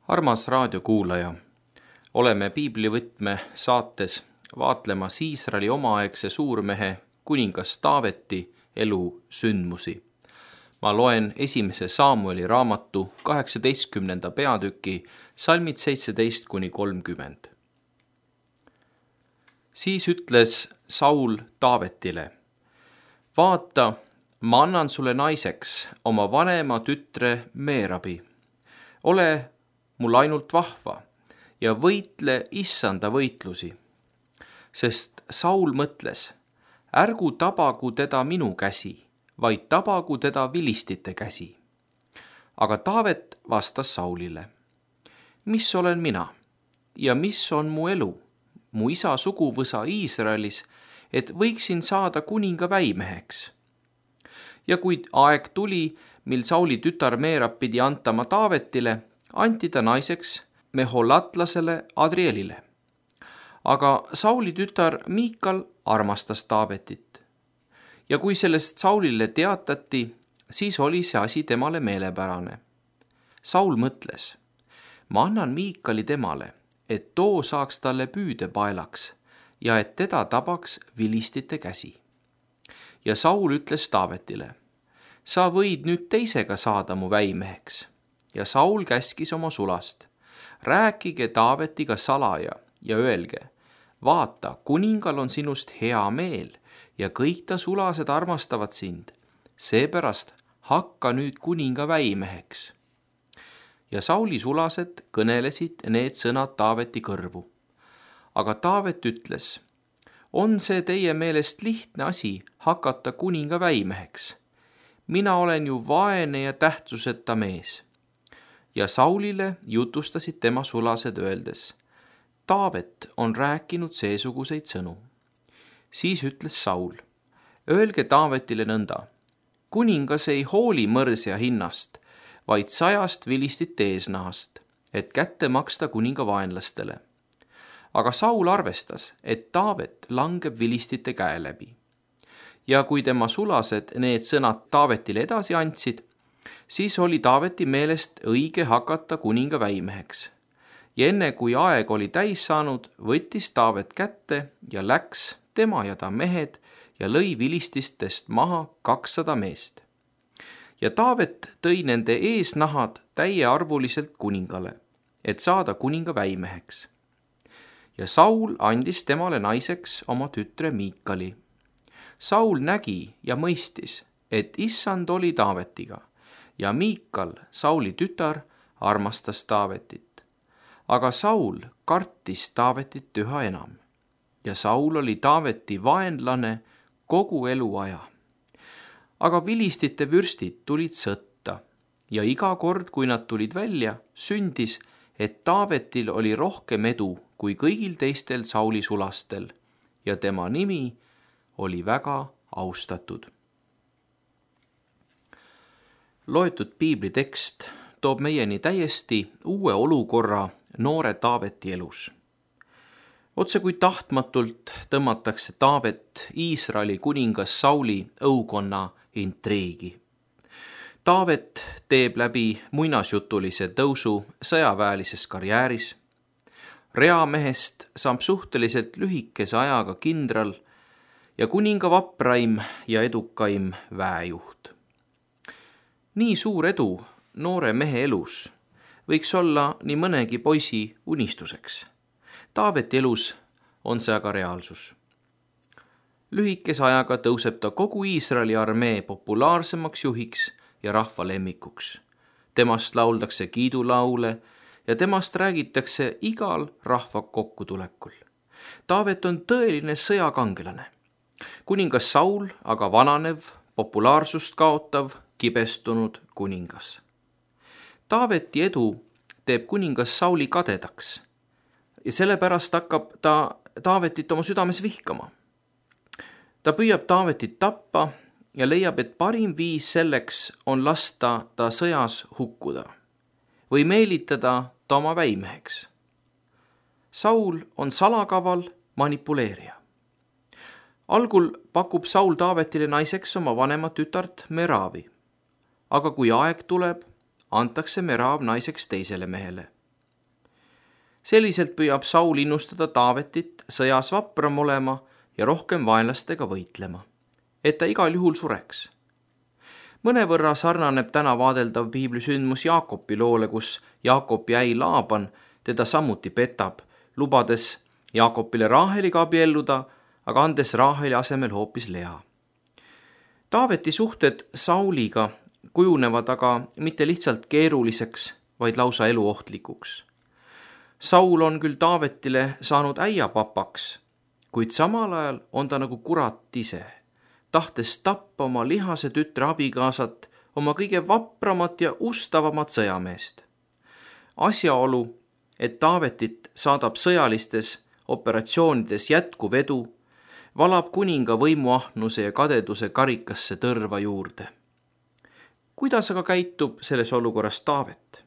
Armas raadiokuulaja, oleme piiblivõtme saates vaatlemas Iisraeli omaaegse suurmehe kuningas Taaveti elu sündmusi. Ma loen 1. Saamueli raamatu 18. peatüki salmid 17-30. Siis ütles Saul Taavetile: vaata, ma annan sulle naiseks oma vanema tütre Meerabi. Ole mul ainult vahva ja võitle issanda võitlusi. Sest Saul mõtles: ärgu tabagu teda minu käsi, vaid tabagu teda vilistite käsi. Aga Taavet vastas Saulile: mis olen mina ja mis on mu elu, mu isa suguvõsa Iisraelis, et võiksin saada kuninga väimeheks? Ja kui aeg tuli, mil Sauli tütar Meerab pidi antama Taavetile, anti ta naiseks meholatlasele Adrielile. Aga Sauli tütar Miikal armastas Taavetit. Ja kui sellest Saulile teatati, siis oli see asi temale meelepärane. Saul mõtles: ma annan Miikali temale, et too saaks talle püüdepaelaks ja et teda tabaks vilistite käsi. Ja Saul ütles Taavetile: sa võid nüüd teisega saada mu väimeheks. Ja Saul käskis oma sulast: rääkige Taavetiga salaja ja öelge: vaata, kuningal on sinust hea meel ja kõik ta sulased armastavad sind. Seepärast hakka nüüd kuninga väimeheks. Ja Sauli sulased kõnelesid need sõnad Taaveti kõrvu. Aga Taavet ütles: on see teie meelest lihtne asi hakata kuninga väimeheks? Mina olen ju vaene ja tähtsuseta mees. Ja Saulile jutustasid tema sulased öeldes: Taavet on rääkinud seesuguseid sõnu. Siis ütles Saul: öelge Taavetile nõnda: kuningas ei hooli mõrsja hinnast, vaid 100 vilistite eesnahast, et kätte maksta kuninga vaenlastele. Aga Saul arvestas, et Taavet langeb vilistite käe läbi. Ja kui tema sulased need sõnad Taavetile edasi andsid, siis oli Taaveti meelest õige hakata kuninga väimeheks. Ja enne kui aeg oli täis saanud, võttis Taavet kätte ja läks tema ja ta mehed ja lõi vilististest maha 200 meest. Ja Taavet tõi nende eesnahad täiearvuliselt kuningale, et saada kuninga väimeheks. Ja Saul andis temale naiseks oma tütre Miikali. Saul nägi ja mõistis, et issand oli Taavetiga ja Miikal, Sauli tütar, armastas Taavetit. Aga Saul kartis Taavetit üha enam ja Saul oli Taaveti vaenlane kogu eluaja. Aga vilistite vürstid tulid sõtta ja iga kord, kui nad tulid välja, sündis, et Taavetil oli rohkem edu kui kõigil teistel Sauli sulastel ja tema nimi oli väga austatud. Loetud piiblitekst toob meieni täiesti uue olukorra noore Taaveti elus. Otse kui tahtmatult tõmmatakse Taavet Iisraeli kuningas Sauli õukonna intriigi. Taavet teeb läbi muinasjutulise tõusu sõjaväelises karjääris. Reamehest saab suhteliselt lühikese ajaga kindral ja kuninga vapraim ja edukaim väejuht. Nii suur edu noore mehe elus võiks olla nii mõnegi poisi unistuseks. Taaveti elus on see aga reaalsus. Lühikese ajaga tõuseb ta kogu Iisraeli armee populaarsemaks juhiks ja rahva lemmikuks. Temast lauldakse kiidulaule ja temast räägitakse igal rahva kokkutulekul. Taavet on tõeline sõjakangelane. Kuningas Saul aga vananev, populaarsust kaotav, kibestunud kuningas. Taaveti edu teeb kuningas Sauli kadedaks ja sellepärast hakkab ta Taavetit oma südames vihkama. Ta püüab Taavetit tappa ja leiab, et parim viis selleks on lasta ta sõjas hukkuda või meelitada ta oma väimeheks. Saul on salakaval manipuleerija. Algul pakub Saul Taavetile naiseks oma vanemat tütart Meravi, aga kui aeg tuleb, antakse Merav naiseks teisele mehele. Selliselt püüab Saul innustada Taavetit sõjas vapram olema ja rohkem vaenlastega võitlema, et ta igal juhul sureks. Mõnevõrra sarnaneb täna vaadeldav piiblisündmus Jaakobi loole, kus Jaakop jäi Laaban teda samuti petab, lubades Jaakopile Raaheliga abielluda, aga andes Raaheli asemel hoopis Lea. Taaveti suhted Sauliga kujunevad aga mitte lihtsalt keeruliseks, vaid lausa eluohtlikuks. Saul on küll Taavetile saanud äiapapaks, kuid samal ajal on ta nagu kurat ise, tahtes tappa oma lihase tütre abikaasat, oma kõige vapramat ja ustavamat sõjameest. Asjaolu, et Taavetit saadab sõjalistes operatsioonides jätkuv edu, valab kuninga võimuahnuse ja kadeduse karikasse tõrva juurde. Kuidas aga käitub selles olukorras Taavet?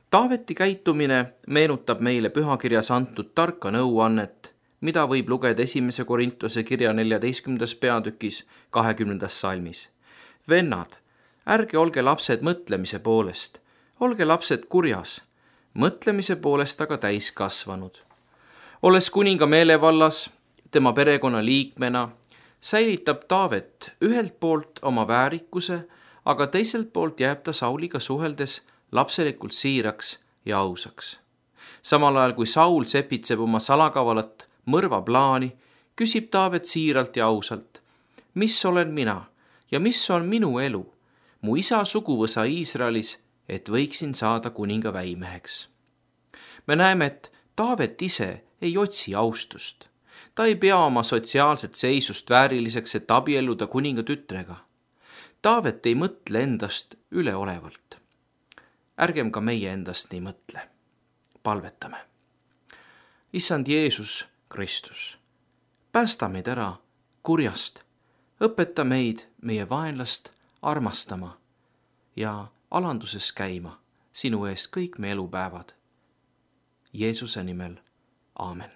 Taaveti käitumine meenutab meile pühakirjas antud tarka nõuannet, mida võib lugeda 1. Korintuse kirja 14. peatükis 20. salmis. Vennad, ärge olge lapsed mõtlemise poolest, olge lapsed kurjas, mõtlemise poolest aga täiskasvanud. Olles kuninga meelevallas, tema perekonna liikmena, säilitab Taavet ühelt poolt oma väärikuse, aga teiselt poolt jääb ta Sauliga suheldes lapselikult siiraks ja ausaks. Samal ajal kui Saul sepitseb oma salakavalat mõrvaplaani, küsib Taavet siiralt ja ausalt, mis olen mina ja mis on minu elu, mu isa suguvõsa Iisraelis, et võiksin saada kuninga väimeheks. Me näeme, et Taavet ise ei otsi austust. Ta ei pea oma sotsiaalset seisust vääriliseks, et abielluda kuninga tütrega. Taavet ei mõtle endast üleolevalt. Ärgem ka meie endast nii mõtle. Palvetame. Issand Jeesus Kristus, päästa meid ära kurjast, õpeta meid meie vaenlast armastama ja alanduses käima sinu ees kõik me elupäevad. Jeesuse nimel, aamen.